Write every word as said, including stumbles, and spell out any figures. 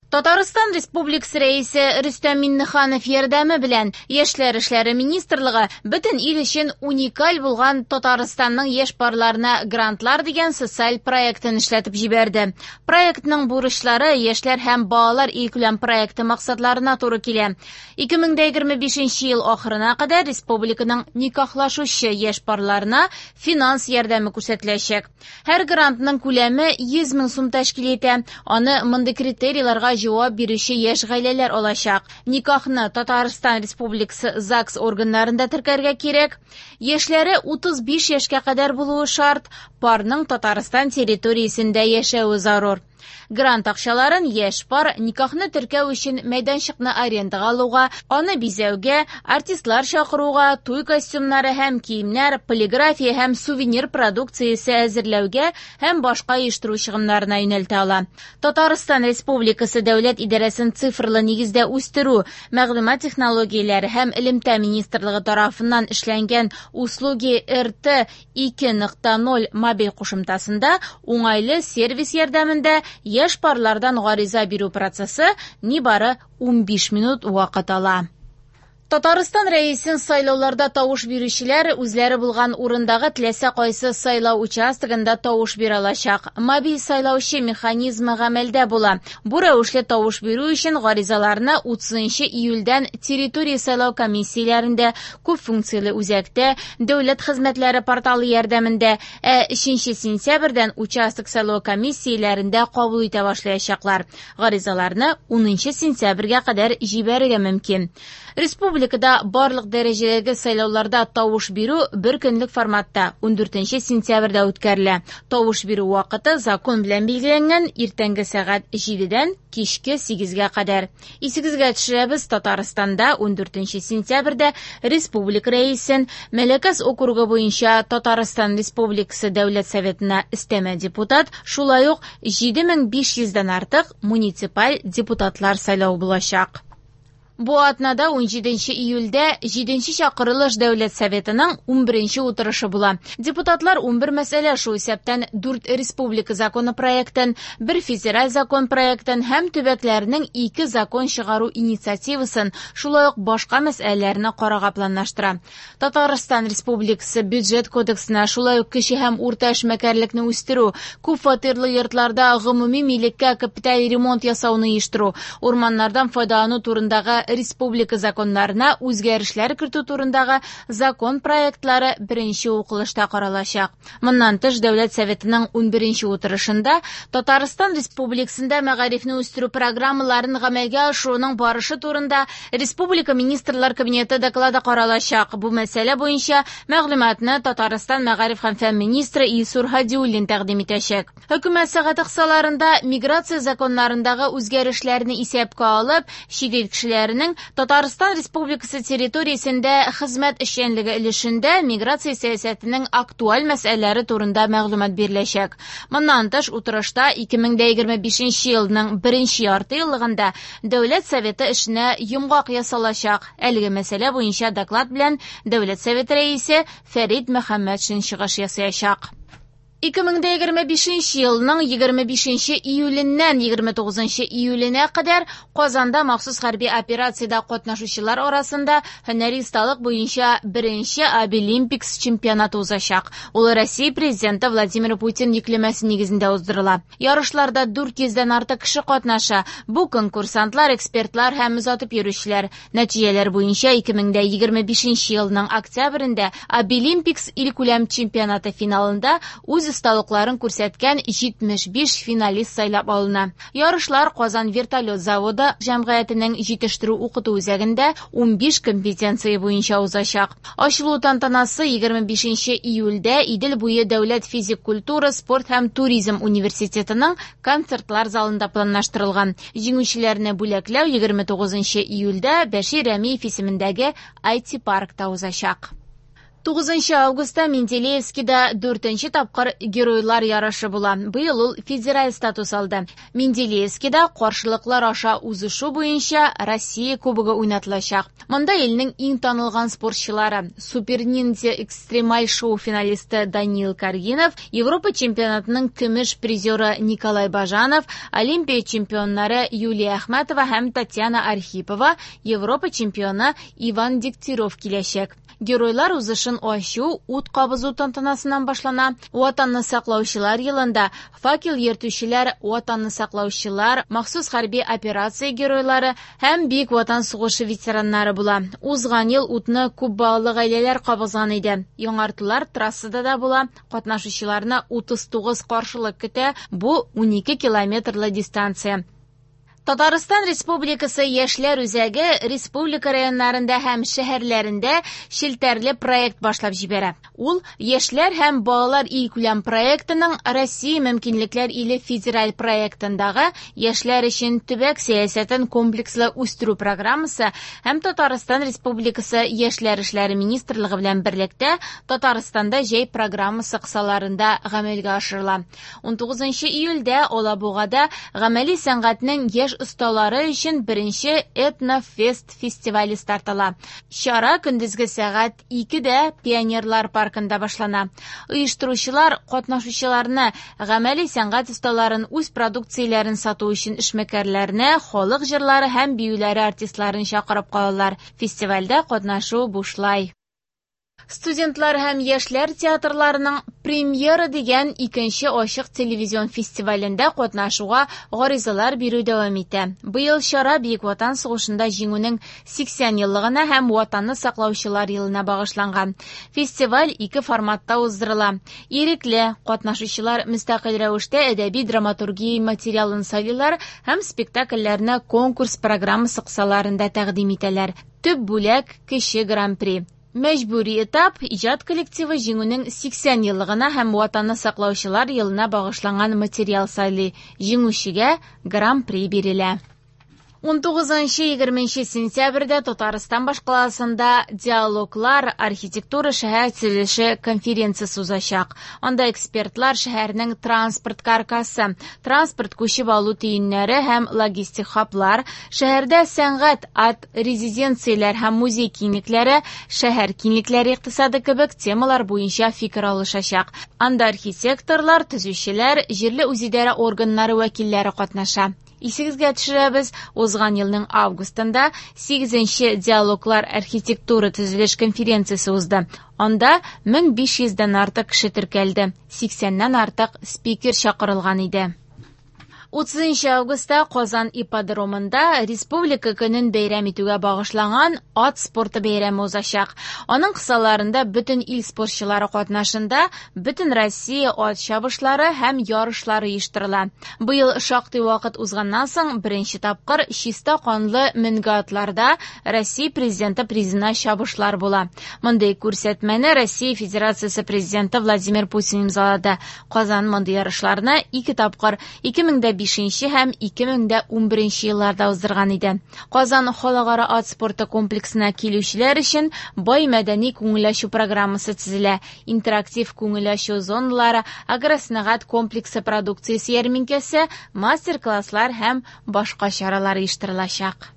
Татарстан Республикасы Рәисе Рөстәм Миңнеханов ярдәме белән Яшьләр эшләре министрлыгы бөтен ил өчен уникаль булган Татарстанның яшь парларына грантлар дигән социаль проектын эшләтеп җибәрде. Проектның бурычлары Яшьләр һәм балалар илкүләм проекты максатларына туры килә. ике мең дә егерме бишенче ел ахырына кадәр республиканың никахлашучы яшь парларына финанс ярдәме күрсәтеләчәк. Һәр грантның күләме йөз мең сум тәшкил итә. Аны мондый критерийларга җавап бирүче яшь гаиләләр алачак. Никахны Татарстан Республикасы ЗАГС органнарында теркәргә кирәк. Яшьләре утыз биш яшькә кадәр булуы шарт, парның Татарстан территориясендә яшәве зарур. Грант акчаларын яшь пар никахны теркәү өчен мәйданчыкны арендага алуга, аны бизәүгә, артистлар чакыруга, туй костюмнары һәм киемнәр, полиграфия һәм сувенир продукциясе әзерләүгә һәм башка оештыру чыгымнарына юнәлтә ала. Татарстан Республикасы Дәүләт идарәсен цифрлы нигездә үстерү, мәгълүмат технологияләре һәм элемтә министрлыгы тарафыннан эшләнгән Услуги эр тэ ике нокта ноль мобиль кушымтасында уңайлы сервис ярдәмендә яшь парлардан гариза бирү процессы нибары унбиш минут вакыт ала. Татарстан Рәисен сайлауларда тавыш бирүчеләр үзләре булган урындагы теләсә кайсы сайлау участогында тавыш бирә алачак. Мобиль сайлаучы механизмы гамәлдә була. Бу рәвешле тавыш бирү өчен гаризаларны утызынчы июльдән территория сайлау комиссияләрендә, күп функцияле үзәктә, дәүләт хезмәтләре порталы ярдәмендә, ә өченче сентябрьдән участок сайлау комиссияләрендә кабул итә башлаячаклар. Гаризаларны унынчы сентябрьгә кадәр җибәрергә мөмкин. Республикада барлык дәрәҗәдәге сайлауларда тавыш бирү бер көнлек форматта ундүртенче сентябрьдә үткәрелә. Тавыш бирү вакыты закон белән билгеләнгән иртәнге сәгать җидедән кичке сигезгә кадәр. Исегезгә төшерәбез, Татарстанда ундүртенче сентябрьдә республика рәисен Мәләкәс округы буенча Татарстан Республикасы Дәүләт Советына өстәмә депутат, шулай ук җиде мең биш йөздән артык муниципаль депутатлар сайлау булачак. Бу атнада унҗиденче июльдә җиденче чакырылыш Дәүләт Советының унберенче утырышы була. Депутатлар унбер мәсьәлә, шул исәптән дүрт республика законы проектын, бер федераль закон проектын һәм төбәкләрнең ике закон чыгару инициативасын, шулай ук башка мәсьәләләрне карарга планлаштыра. Татарстан Республикасы бюджет кодексына, шулай ук кече һәм урта эшмәкәрлекне үстерү, күп фатирлы йортларда гомуми милеккә капиталь ремонт ясауны оештыру, урманнардан файдалану турындагы республика законнарына үзгәрешләр кертү турындагы закон проектлары беренче укылышта каралачак. Моннан тыш, Дәүләт Советының унберенче утырышында Татарстан Республикасында мәгарифне үстерү программаларын гамәлгә ашыруның барышы турында Республика Министрлар Кабинеты доклады каралачак. Бу мәсьәлә буенча мәгълүматны Татарстан мәгариф һәм фән министры Илсур Һадиуллин тәкъдим итәчәк. Хөкүмәт сәгате кысаларында миграция законнарындагы үзгәрешләрне исәпкә алып, чит ил кешеләренең Татарстан Республикасы территориясендә хезмәт эшчәнлеге өлешендә миграция сәясәтенең актуаль мәсьәләләре турында мәгълүмат биреләчәк. Моннан тыш, утырышта ике мең дә егерме бишенче елның беренче ярты еллыгында Дәүләт Советы эшенә йомгак ясалачак. Әлеге мәсьәлә буенча доклад белән Дәүләт Советы рәисе Фәрит Мөхәммәтшин чыгыш ясаячак. Ике мең дә егерме бишенче елның егерме бишенче июленнән егерме тугызынчы июленә кадәр Казанда махсус хәрби операциядә катнашучылар арасында һөнәри осталык буенча беренче Абилимпикс чемпионаты узачак. Ул Россия президенты Владимир Путин йөкләмәсе нигезендә уздырыла. Ярышларда дүрт йөздән артык кеше катнаша. Бу конкурсантлар, экспертлар һәм озатып йөрүчеләр. Нәтиҗәләр буенча ике мең дә егерме бишенче елның октябрендә Абилимпикс илкүләм чемпионаты финалында үз осталыкларын күрсәткән җитмеш биш финалист сайлап алына. Ярышлар Казан вертолет заводы җәмгыятенең җитештерү укыту үзәгендә унбиш компетенция буенча узачак. Ачылу тантанасы егерме бишенче июльдә Идел буе дәүләт физик культура, спорт һәм туризм университетының концертлар залында планлаштырылган. Җиңүчеләрне бүләкләү егерме тугызынчы июльдә Бәшир Рәмиев исемендәге ай ти паркта узачак. Тугызынчы августта Менделеевскида дүртенче тапкыр геройлар ярышы була. Быел ул федераль статус алды. Менделеевскида каршылыклар аша узышу буенча Россия кубогы уйнатылачак. Монда илнең иң танылган спортчылары Супер ниндзя экстремаль шоу финалисты Даниил Каргинов, Европа чемпионатының көмеш призеры Николай Бажанов, Олимпия чемпионнары Юлия Әхмәтова һәм Татьяна Архипова, Европа чемпионы Иван Дегтярев киләчәк. Геройлар узышын ачу ут кабызу тантанасыннан башлана. Ватанны саклаучылар елында факел йөртүчеләр, Ватанны саклаучылар, махсус хәрби операция геройлары һәм Бөек Ватан сугышы ветераннары була. Узган ел утны күп балалы гаиләләр кабызган иде. Яңартулар трассада да була. Катнашучыларны утыз тугыз каршылык көтә. Бу унике километрлы дистанция. Татарстан Республикасы Яшьләр үзәге республика районнарында һәм шәһәрләрендә челтәрле проект башлап җибәрә. Ул Яшьләр һәм балалар илкүләм проектының Россия мөмкинлекләр иле федераль проектындагы Яшьләр өчен төбәк сәясәтен комплекслы үстерү программасы һәм Татарстан Республикасы Яшьләр эшләре министрлыгы белән берлектә Татарстанда җәй программасы кысаларында гамәлгә ашырыла. Унтугызынчы июльдә Алабугада гамәли сәнгатьнең яшь осталары өчен беренче этнофест фестивале старт ала. Чара көндезге сәгать икедә Пионерлар паркында башлана. Оештыручылар катнашучыларны, гамәли сәнгать осталарын, үз продукцияләрен сату өчен эшмәкәрләрне, халык җырлары һәм биюләре артистларын чакырып калалар. Фестивальдә катнашу бушлай. Студентлар һәм яшьләр театрларының премьера дигән икенче ачык телевизион фестивалендә катнашуга гаризалар бирү дәвам итә. Быел чара Бөек Ватан сугышында җиңүнең сиксән еллыгына һәм Ватанны саклаучылар елына багышланган. Фестиваль ике форматта уздырыла. Ирекле катнашучылар мөстәкыйль рәвештә әдәби драматургия материалын сайлыйлар һәм спектакльләрне конкурс программасы кысаларында тәкъдим итәләр. Төп бүләк кече гран-при. Мәҗбүри этап иҗат коллективы җиңүнең сиксән еллыгына һәм Ватанны саклаучылар елына багышланган материал сайлый. Җиңүчегә гран-при бирелә. Унтугызынчы егерменче сентябрьдә Татарстан башкаласында диалоглар архитектура шәһәр төзелеше конференциясе узачак. Анда экспертлар шәһәрнең транспорт каркасы, транспорт күчеп алу төеннәре һәм логистик хаблар, шәһәрдә сәнгать, ат резиденцияләр һәм музей киңлекләре, шәһәр киңлекләре икътисады кебек темалар буенча фикер алышачак. Анда архитекторлар, төзүчеләр, җирле үзидарә органнары вәкилләре катнаша. Исегезгә төшерәбез, узган елның августында сигезенче диалоглар архитектура төзелеш конференциясе узды. Анда мең биш йөздән артык кеше теркәлде, сиксәннән артык спикер чакырылган иде. Утызынчы августта Казан ипподромында Республика көнен бәйрәм итүгә багышланган ат спорты бәйрәме узачак. Аның кысаларында бөтен ил спортчылары катнашында бөтен Россия ат чабышлары һәм ярышлары оештырыла. Быел шактый вакыт узганнан соң беренче тапкыр чиста канлы менге атларда Россия президенты призына чабышлар була. Мондый күрсәтмәне Россия Федерациясе президенты Владимир Путин имзалады. Казан мондый ярышларны ике тапкыр ике мең дә бишенче һәм ике мең дә унберенче елларда уздырган иде. Казан халыкара ат спорты комплексына килүчеләр өчен бай мәдәни күңел ачу программасы төзелә. Интерактив күңел ачу зоналары, агросәнәгать комплексы продукциясе ярминкәсе, мастер-класслар һәм башка чаралар оештырылачак.